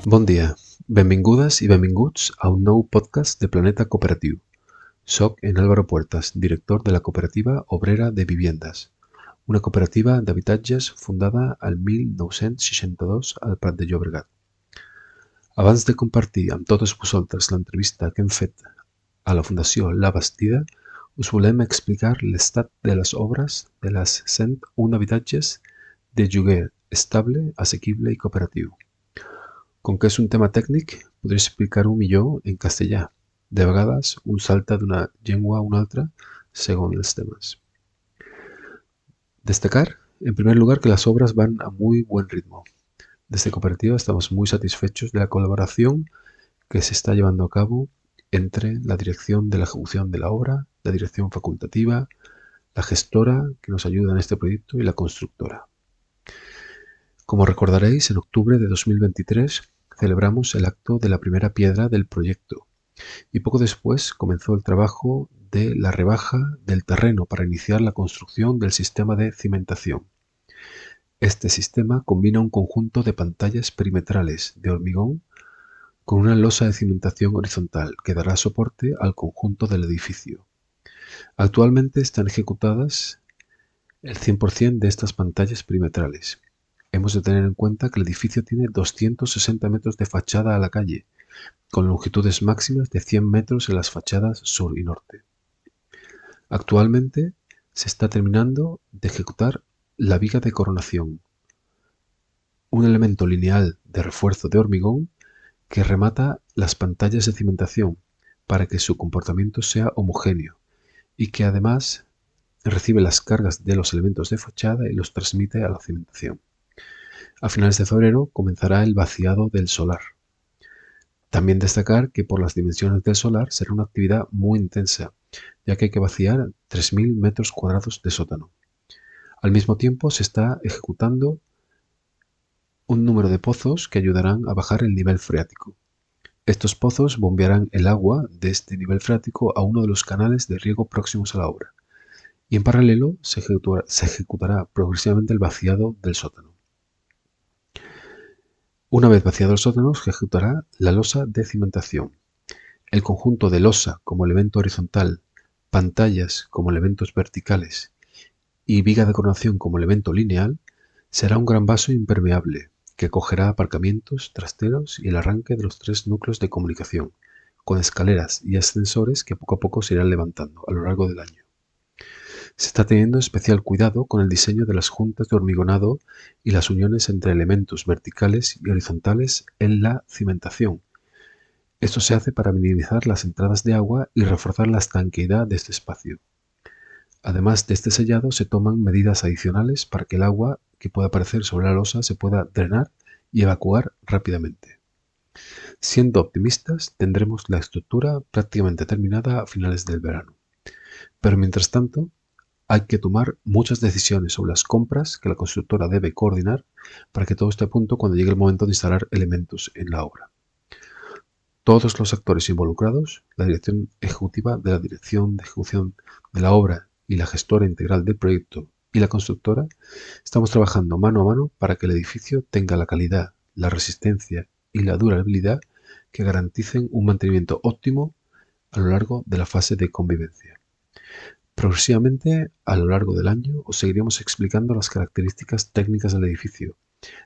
Bon dia, benvingudes i benvinguts a un nou podcast de Planeta Cooperatiu. Soc en Álvaro Puertas, director de la Cooperativa Obrera de Viviendas, una cooperativa d'habitatges fundada el 1962 al Prat de Llobregat. Abans de compartir amb totes vosaltres l'entrevista que hem fet a la Fundació La Bastida, us volem explicar l'estat de les obres de les 101 habitatges de lloguer estable, assequible i cooperatiu. Com que és un tema tècnic, podré explicar-ho millor en castellà. De vegades, un salta d'una llengua a una altra según els temas. Destacar, en primer lugar, que las obras van a muy buen ritmo. Desde Cooperativa estamos muy satisfechos de la colaboración que se está llevando a cabo entre la dirección de la ejecución de la obra, la dirección facultativa, la gestora que nos ayuda en este proyecto y la constructora. Como recordaréis, en octubre de 2023 celebramos el acto de la primera piedra del proyecto y poco después comenzó el trabajo de la rebaja del terreno para iniciar la construcción del sistema de cimentación. Este sistema combina un conjunto de pantallas perimetrales de hormigón con una losa de cimentación horizontal que dará soporte al conjunto del edificio. Actualmente están ejecutadas el 100% de estas pantallas perimetrales. Hemos de tener en cuenta que el edificio tiene 260 metros de fachada a la calle, con longitudes máximas de 100 metros en las fachadas sur y norte. Actualmente se está terminando de ejecutar la viga de coronación, un elemento lineal de refuerzo de hormigón que remata las pantallas de cimentación para que su comportamiento sea homogéneo y que además recibe las cargas de los elementos de fachada y los transmite a la cimentación. A finales de febrero comenzará el vaciado del solar. También destacar que por las dimensiones del solar será una actividad muy intensa, ya que hay que vaciar 3.000 metros cuadrados de sótano. Al mismo tiempo se está ejecutando un número de pozos que ayudarán a bajar el nivel freático. Estos pozos bombearán el agua de este nivel freático a uno de los canales de riego próximos a la obra. Y en paralelo se ejecutará progresivamente el vaciado del sótano. Una vez vaciado el sótano, se ejecutará la losa de cimentación. El conjunto de losa como elemento horizontal, pantallas como elementos verticales y viga de coronación como elemento lineal será un gran vaso impermeable que acogerá aparcamientos, trasteros y el arranque de los 3 núcleos de comunicación, con escaleras y ascensores que poco a poco se irán levantando a lo largo del año. Se está teniendo especial cuidado con el diseño de las juntas de hormigonado y las uniones entre elementos verticales y horizontales en la cimentación. Esto se hace para minimizar las entradas de agua y reforzar la estanqueidad de este espacio. Además de este sellado, se toman medidas adicionales para que el agua que pueda aparecer sobre la losa se pueda drenar y evacuar rápidamente. Siendo optimistas, tendremos la estructura prácticamente terminada a finales del verano. Pero mientras tanto, hay que tomar muchas decisiones sobre las compras que la constructora debe coordinar para que todo esté a punto cuando llegue el momento de instalar elementos en la obra. Todos los actores involucrados, la dirección ejecutiva de la dirección de ejecución de la obra y la gestora integral del proyecto y la constructora, estamos trabajando mano a mano para que el edificio tenga la calidad, la resistencia y la durabilidad que garanticen un mantenimiento óptimo a lo largo de la fase de convivencia. Progresivamente, a lo largo del año, os seguiremos explicando las características técnicas del edificio,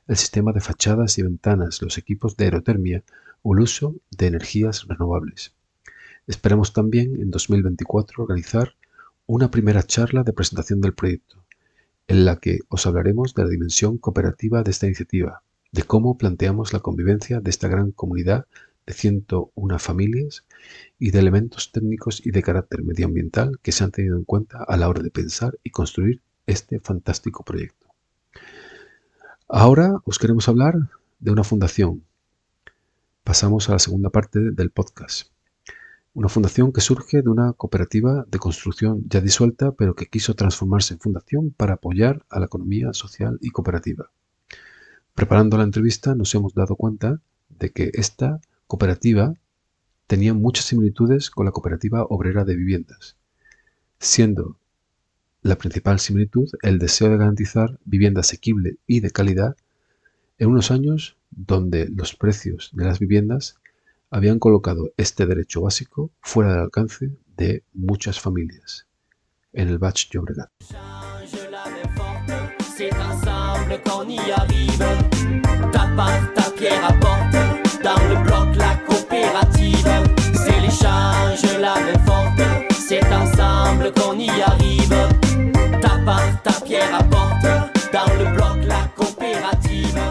el sistema de fachadas y ventanas, los equipos de aerotermia o el uso de energías renovables. Esperamos también en 2024 organizar una primera charla de presentación del proyecto, en la que os hablaremos de la dimensión cooperativa de esta iniciativa, de cómo planteamos la convivencia de esta gran comunidad de 101 familias y de elementos técnicos y de carácter medioambiental que se han tenido en cuenta a la hora de pensar y construir este fantástico proyecto. Ahora os queremos hablar de una fundación. Pasamos a la segunda parte del podcast. Una fundación que surge de una cooperativa de construcción ya disuelta, pero que quiso transformarse en fundación para apoyar a la economía social y cooperativa. Preparando la entrevista nos hemos dado cuenta de que esta cooperativa tenía muchas similitudes con la Cooperativa Obrera de Viviendas, siendo la principal similitud el deseo de garantizar vivienda asequible y de calidad en unos años donde los precios de las viviendas habían colocado este derecho básico fuera del alcance de muchas familias en el Baix Llobregat. C'est ensemble qu'on y arrive. Ta part, ta pierre apporte. Dans le bloc, la coopérative. C'est l'échange, la main forte. C'est ensemble qu'on y arrive. Ta part, ta pierre apporte. Dans le bloc, la coopérative.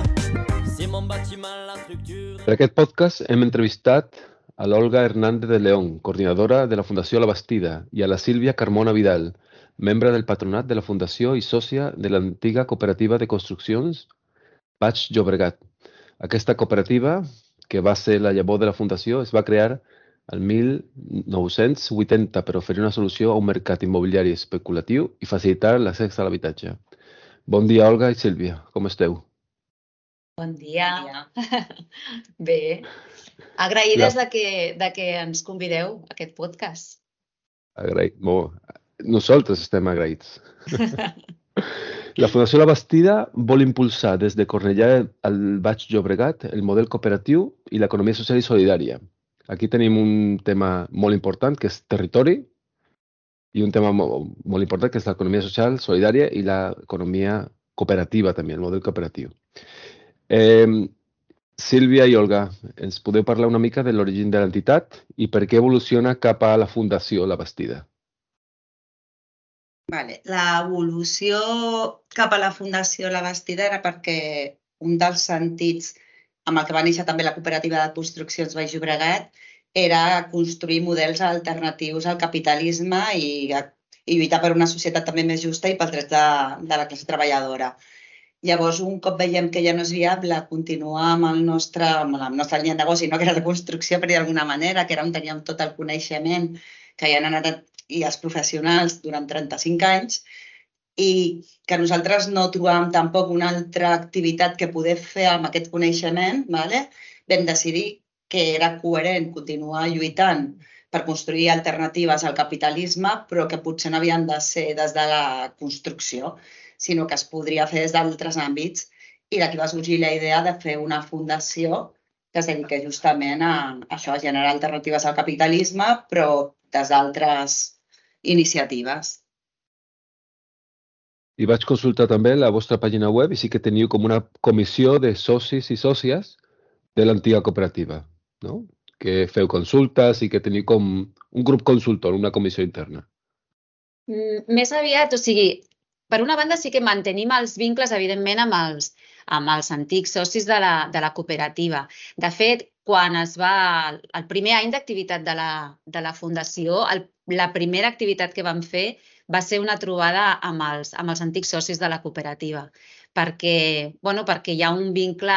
C'est mon bâtiment, la structure. Per aquest podcast hem entrevistat a l'Olga Hernández de León, coordinadora de la Fundació La Bastida, i a la Sílvia Carmona Vidal, membre del patronat de la Fundació i sòcia de l'antiga cooperativa de construccions Baix Llobregat. Aquesta cooperativa, que va ser la llavor de la Fundació, es va crear el 1980 per oferir una solució a un mercat immobiliari especulatiu i facilitar l'accés a l'habitatge. Bon dia, Olga i Sílvia, com esteu? Bon dia. Bé, agraïdes de que ens convideu a aquest podcast. Agraït. Nosaltres estem agraïts. La Fundació La Bastida vol impulsar des de Cornellà al Baix Llobregat el model cooperatiu i l'economia social i solidària. Aquí tenim un tema molt important, que és territori, i un tema molt important, que és l'economia social, solidària, i l'economia cooperativa també, el model cooperatiu. Sílvia i Olga, ens podeu parlar una mica de l'origen de l'entitat i per què evoluciona cap a la Fundació La Bastida? L'evolució cap a la Fundació La Bastida era perquè un dels sentits amb el que va néixer també la cooperativa de construccions Baix Llobregat era construir models alternatius al capitalisme i lluitar per una societat també més justa i pels drets de la classe treballadora. Llavors, un cop veiem que ja no és viable continuar amb la nostra línia de negoci, no que era la construcció, per dir d'alguna manera, que era on teníem tot el coneixement que hi han anat i els professionals durant 35 anys, i que nosaltres no trobàvem tampoc una altra activitat que poder fer amb aquest coneixement, vam decidir que era coherent continuar lluitant per construir alternatives al capitalisme, però que potser no havien de ser des de la construcció, sinó que es podria fer des d'altres àmbits. I d'aquí va sorgir la idea de fer una fundació que es dedica justament a això, a generar alternatives al capitalisme, però des d'altres iniciatives. I vaig consultar també la vostra pàgina web i sí que teniu com una comissió de socis i sòcies de l'antiga cooperativa, no? Que feu consultes i que teniu com un grup consultor, una comissió interna. Més aviat, o sigui, per una banda sí que mantenim els vincles, evidentment, amb els antics socis de la cooperativa. De fet, quan el primer any d'activitat de la Fundació, la primera activitat que vam fer va ser una trobada amb els antics socis de la cooperativa, perquè hi ha un vincle,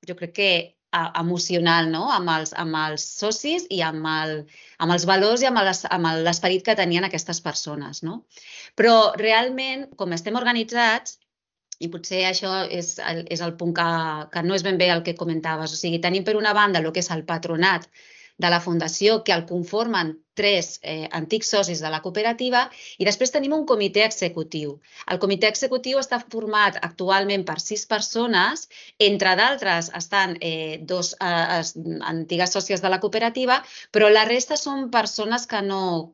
jo crec que emocional, amb els socis i amb els valors i amb l'esperit que tenien aquestes persones. Però realment, com estem organitzats, i potser això és el punt que no és ben bé el que comentaves, o sigui, tenim per una banda el que és el patronat de la Fundació, que el conformen 3 antics socis de la cooperativa, i després tenim un comitè executiu. El comitè executiu està format actualment per 6 persones, entre d'altres estan 2 antigues sòcies de la cooperativa, però la resta són persones que no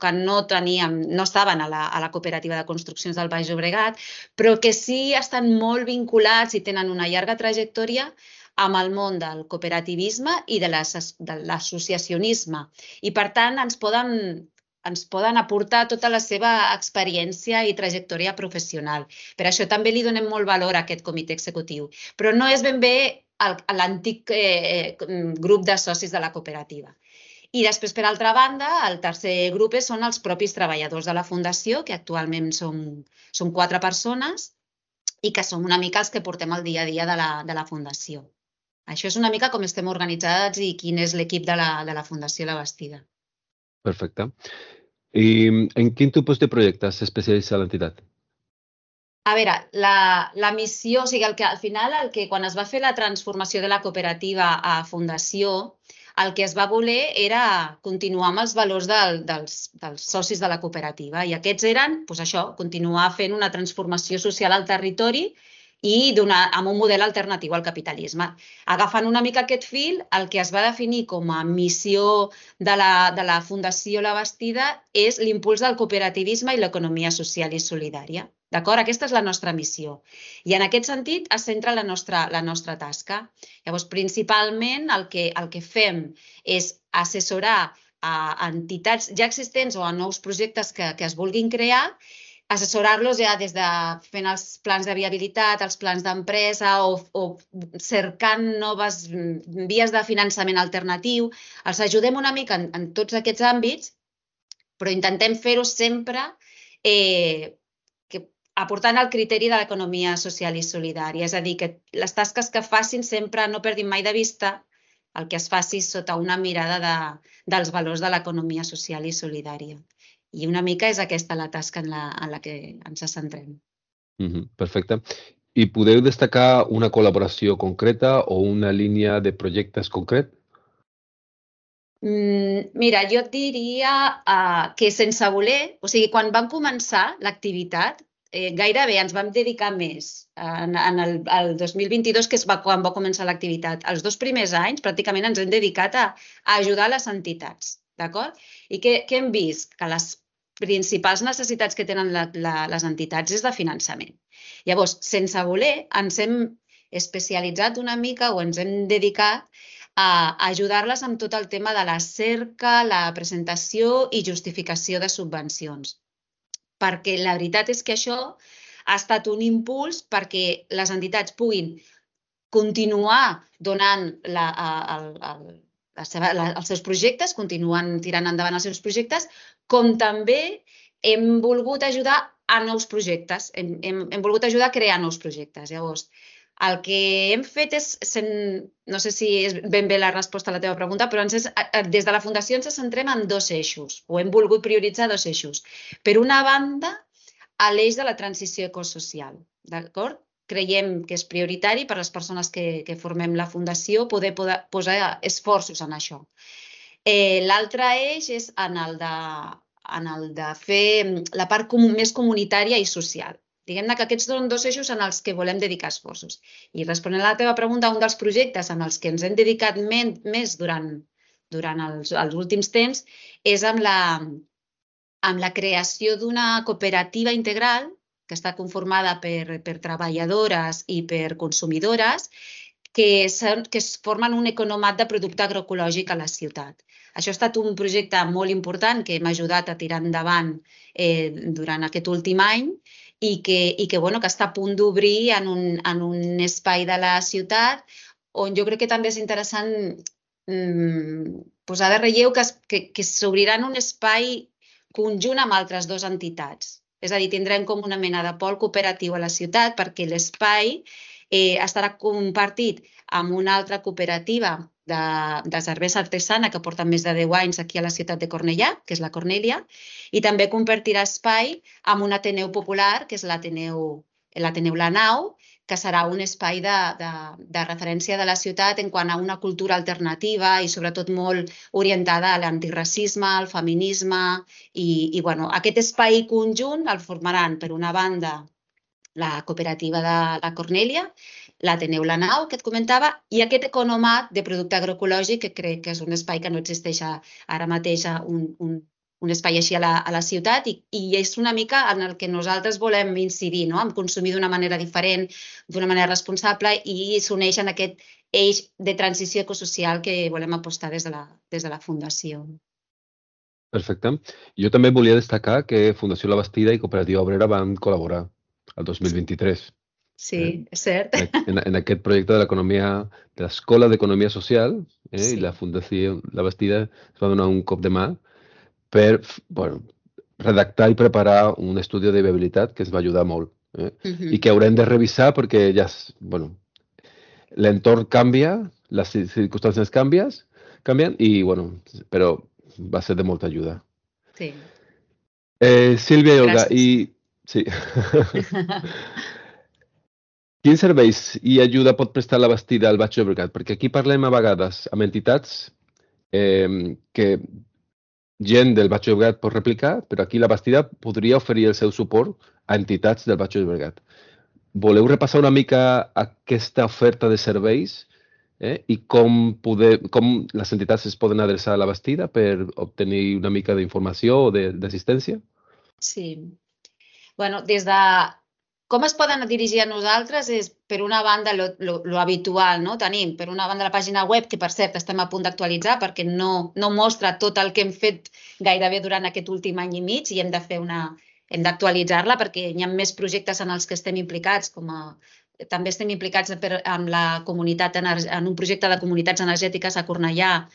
estaven a la cooperativa de construccions del Baix Llobregat, però que sí estan molt vinculats i tenen una llarga trajectòria amb el món del cooperativisme i de l'associacionisme. I, per tant, ens poden aportar tota la seva experiència i trajectòria professional. Per això també li donem molt valor a aquest comitè executiu. Però no és ben bé l'antic grup de socis de la cooperativa. I després, per altra banda, el tercer grup són els propis treballadors de la Fundació, que actualment som 4 persones i que som una mica els que portem el dia a dia de la Fundació. Això és una mica com estem organitzats i quin és l'equip de la Fundació La Bastida. Perfecte. I en quin tipus de projectes s'especialitza l'entitat? A veure, la missió, o sigui, al final, quan es va fer la transformació de la cooperativa a Fundació, el que es va voler era continuar amb els valors dels socis de la cooperativa. I aquests eren, doncs això, continuar fent una transformació social al territori i amb un model alternatiu al capitalisme. Agafant una mica aquest fil, el que es va definir com a missió de la Fundació La Bastida és l'impuls del cooperativisme i l'economia social i solidària. D'acord? Aquesta és la nostra missió. I en aquest sentit es centra la nostra tasca. Llavors, principalment el que fem és assessorar a entitats ja existents o a nous projectes que es vulguin crear, assessorar-los ja des de fent els plans de viabilitat, els plans d'empresa o cercant noves vies de finançament alternatiu. Els ajudem una mica en tots aquests àmbits, però intentem fer-ho sempre aportant el criteri de l'economia social i solidària. És a dir, que les tasques que facin sempre no perdin mai de vista el que es faci sota una mirada dels valors de l'economia social i solidària. I una mica és aquesta la tasca en la que ens centrem. Perfecte. I podeu destacar una col·laboració concreta o una línia de projectes concret? Mira, jo et diria que sense voler, o sigui, quan vam començar l'activitat, gairebé ens vam dedicar més el 2022, que és quan va començar l'activitat. Els 2 primers anys pràcticament ens hem dedicat a ajudar les entitats, d'acord? I què hem vist? Que les principals necessitats que tenen les entitats és de finançament. Llavors, sense voler, ens hem especialitzat una mica o ens hem dedicat a ajudar-les amb tot el tema de la cerca, la presentació i justificació de subvencions. Perquè la veritat és que això ha estat un impuls perquè les entitats puguin continuar donant els seus projectes, continuen tirant endavant els seus projectes, com també hem volgut ajudar a nous projectes, hem volgut ajudar a crear nous projectes. Llavors, el que hem fet és, no sé si és ben bé la resposta a la teva pregunta, però des de la Fundació ens centrem en 2 eixos, o hem volgut prioritzar 2 eixos. Per una banda, a l'eix de la transició ecosocial, d'acord? Creiem que és prioritari per a les persones que formem la Fundació poder posar esforços en això. L'altre eix és en el de fer la part més comunitària i social. Diguem-ne que aquests són 2 eixos en els que volem dedicar esforços. I responent a la teva pregunta, un dels projectes en els que ens hem dedicat més durant els últims temps és amb la creació d'una cooperativa integral que està conformada per treballadores i per consumidores que formen un economat de producte agroecològic a la ciutat. Això ha estat un projecte molt important que hem ajudat a tirar endavant durant aquest últim any i que està a punt d'obrir en un espai de la ciutat on jo crec que també és interessant posar de relleu que s'obrirà en un espai conjunt amb altres 2 entitats. És a dir, tindrem com una mena de pol cooperatiu a la ciutat perquè l'espai estarà compartit amb una altra cooperativa de cervesa artesana que porta més de 10 anys aquí a la ciutat de Cornellà, que és la Cornèlia, i també compartirà espai amb un Ateneu Popular, que és l'Ateneu La Nau, que serà un espai de referència de la ciutat en quant a una cultura alternativa i sobretot molt orientada a l'antiracisme, al feminisme i aquest espai conjunt el formaran per una banda la cooperativa de la Cornèlia, l'Ateneu La Nau, que et comentava, i aquest economat de producte agroecològic, que crec que és un espai que no existeix ara mateix, un espai així a la ciutat, i és una mica en el que nosaltres volem incidir, en consumir d'una manera diferent, d'una manera responsable, i s'uneix en aquest eix de transició ecosocial que volem apostar des de la Fundació. Perfecte. Jo també volia destacar que Fundació La Bastida i Cooperativa Obrera van col·laborar el 2023. Sí, és cert. En aquest projecte de l'Escola d'Economia Social i la Fundació La Bastida es va donar un cop de mà per redactar i preparar un estudi de viabilitat que ens va ajudar molt i que haurem de revisar perquè ja l'entorn canvia, les circumstàncies canvien i però va ser de molta ajuda. Sí. Sílvia i Olga, sí. Quins serveis i ajuda pot prestar La Bastida al Baix Llobregat? Perquè aquí parlem a vegades amb entitats que gent del Baix Llobregat pot replicar, però aquí La Bastida podria oferir el seu suport a entitats del Baix Llobregat. voleu repassar una mica aquesta oferta de serveis i com les entitats es poden adreçar a la Bastida per obtenir una mica d'informació o d'assistència? Sí. Bueno, com es poden dirigir a nosaltres és, per una banda, lo habitual, no? Tenim, per una banda, la pàgina web, que per cert estem a punt d'actualitzar perquè no mostra tot el que hem fet gairebé durant aquest últim any i mig i hem d'actualitzar-la perquè hi ha més projectes en els que estem implicats, també estem implicats amb la comunitat en un projecte de comunitats energètiques a Cornellà,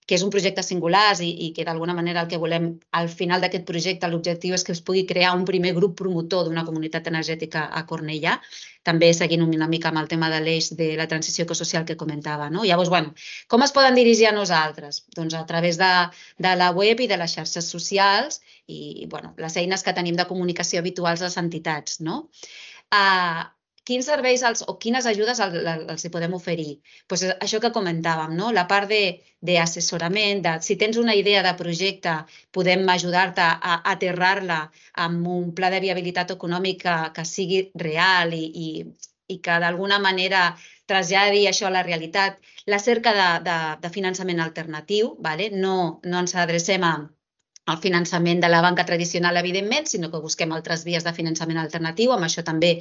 que és un projecte singular i que d'alguna manera el que volem al final d'aquest projecte, l'objectiu és que es pugui crear un primer grup promotor d'una comunitat energètica a Cornellà, també seguint una mica amb el tema de l'eix de la transició ecosocial que comentava. Llavors, com es poden dirigir a nosaltres? Doncs a través de la web i de les xarxes socials i les eines que tenim de comunicació habituals a les entitats. Quins serveis o quines ajudes els hi podem oferir? Doncs això que comentàvem, la part d'assessorament, si tens una idea de projecte, podem ajudar-te a aterrar-la amb un pla de viabilitat econòmica que sigui real i que d'alguna manera traslladi això a la realitat. La cerca de finançament alternatiu, no ens adrecem al finançament de la banca tradicional, evidentment, sinó que busquem altres vies de finançament alternatiu, amb això també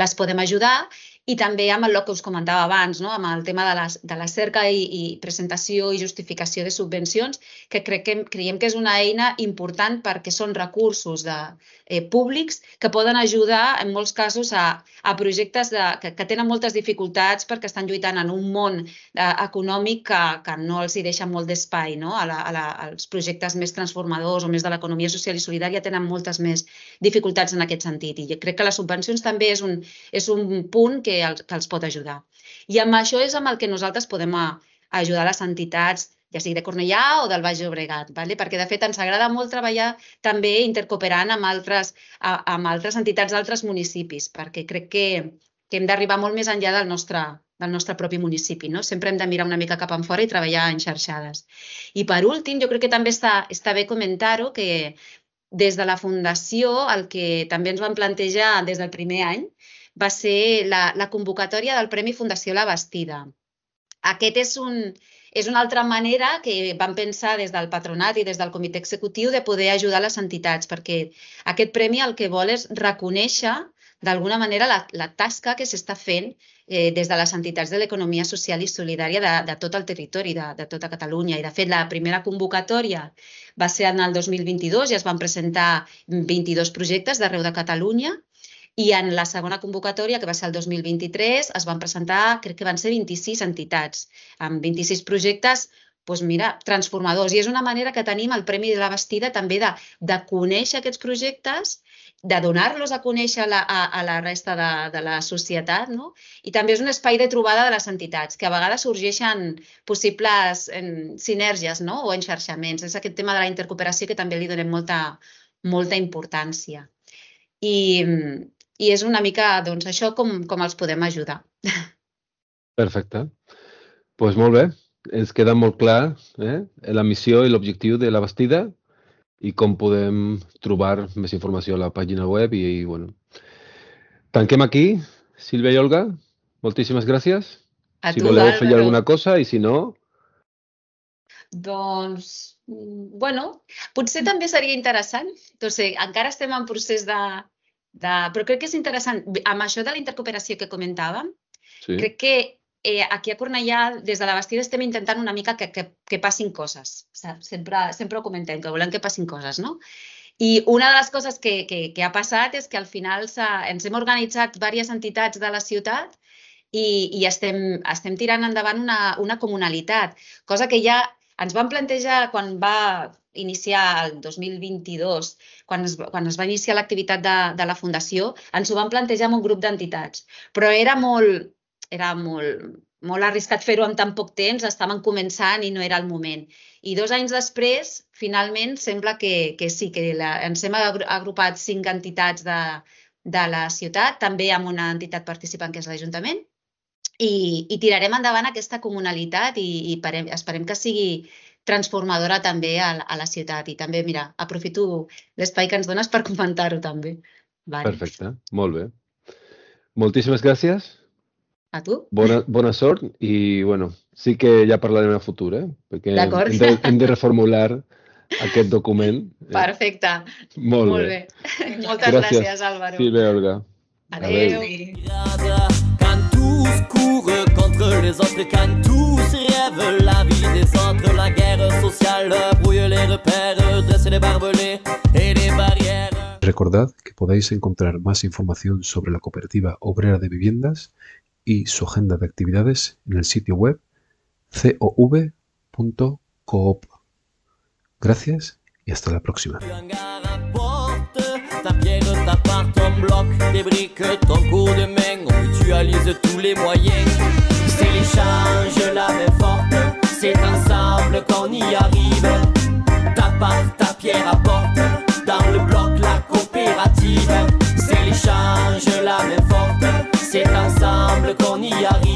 les podem ajudar, i també amb el que us comentava abans, amb el tema de la cerca i presentació i justificació de subvencions, que creiem que és una eina important perquè són recursos públics que poden ajudar en molts casos a projectes que tenen moltes dificultats perquè estan lluitant en un món econòmic que no els hi deixa molt d'espai. Els projectes més transformadors o més de l'economia social i solidària tenen moltes més dificultats en aquest sentit i crec que les subvencions també és un punt que els pot ajudar. I amb això és amb el que nosaltres podem ajudar les entitats, ja sigui de Cornellà o del Baix Llobregat, perquè de fet ens agrada molt treballar també intercooperant amb altres entitats d'altres municipis, perquè crec que hem d'arribar molt més enllà del nostre propi municipi. Sempre hem de mirar una mica cap enfora i treballar en xarxades. I per últim, jo crec que també està bé comentar-ho, que des de la Fundació el que també ens vam plantejar des del primer any va ser la convocatòria del Premi Fundació La Bastida. Aquest és una altra manera que vam pensar des del patronat i des del comitè executiu de poder ajudar les entitats, perquè aquest premi el que vol és reconèixer d'alguna manera la tasca que s'està fent des de les entitats de l'economia social i solidària de tot el territori, de tota Catalunya. I, de fet, la primera convocatòria va ser en el 2022 i es van presentar 22 projectes d'arreu de Catalunya. I en la segona convocatòria, que va ser el 2023, es van presentar, crec que van ser 26 entitats, amb 26 projectes transformadors. I és una manera que tenim el Premi de la Bastida també de conèixer aquests projectes, de donar-los a conèixer a la resta de la societat, i també és un espai de trobada de les entitats, que a vegades sorgeixen possibles sinergies o enxarxaments. És aquest tema de la intercooperació que també li donem molta importància. I és una mica això com els podem ajudar. Perfecte. Doncs molt bé. Ens queda molt clar la missió i l'objectiu de la Bastida i com podem trobar més informació a la pàgina web. I tanquem aquí. Sílvia i Olga, moltíssimes gràcies. Si voleu fer alguna cosa i si no... Doncs, potser també seria interessant. Encara estem en procés però crec que és interessant. Amb això de la intercooperació que comentàvem, crec que aquí a Cornellà, des de la Bastida, estem intentant una mica que passin coses. Sempre ho comentem, que volem que passin coses, no? I una de les coses que ha passat és que al final ens hem organitzat diverses entitats de la ciutat i estem tirant endavant una comunalitat, cosa que ja ens vam plantejar quan va iniciar el 2022, quan es va iniciar l'activitat de la Fundació, ens ho vam plantejar amb un grup d'entitats, però era molt arriscat fer-ho en tan poc temps, estàvem començant i no era el moment. I 2 anys després, finalment, sembla que sí, que ens hem agrupat 5 entitats de la ciutat, també amb una entitat participant que és l'Ajuntament, i tirarem endavant aquesta comunalitat i esperem que sigui transformadora també a la ciutat. I també, mira, aprofito l'espai que ens dones per comentar-ho també. Perfecte, molt bé. Moltíssimes gràcies. A tu? Bona sort i, bueno, sí que ja parlarem a futur, perquè D'acord. hem de reformular aquest document. Perfecte. Molt bé. Moltes gràcies, Álvaro. Sí, bé, Olga. Adéu. Quand tous courent contre les autres, quand tous rêvent la vie des autres, la guerre sociale brouille les repères, dresse les barbelés et les barrières. Recordad que podéis encontrar más información sobre la Cooperativa Obrera de Viviendas y su agenda de actividades en el sitio web cov.coop. Gracias y hasta la próxima. Ta pierre, ta part, ton bloc, tes briques, ton coup de main, on mutualise tous les moyens. C'est l'échange, la main forte, c'est ensemble qu'on y arrive. Ta part, ta pierre apporte, dans le bloc la coopérative. C'est l'échange, la main forte, c'est ensemble qu'on y arrive.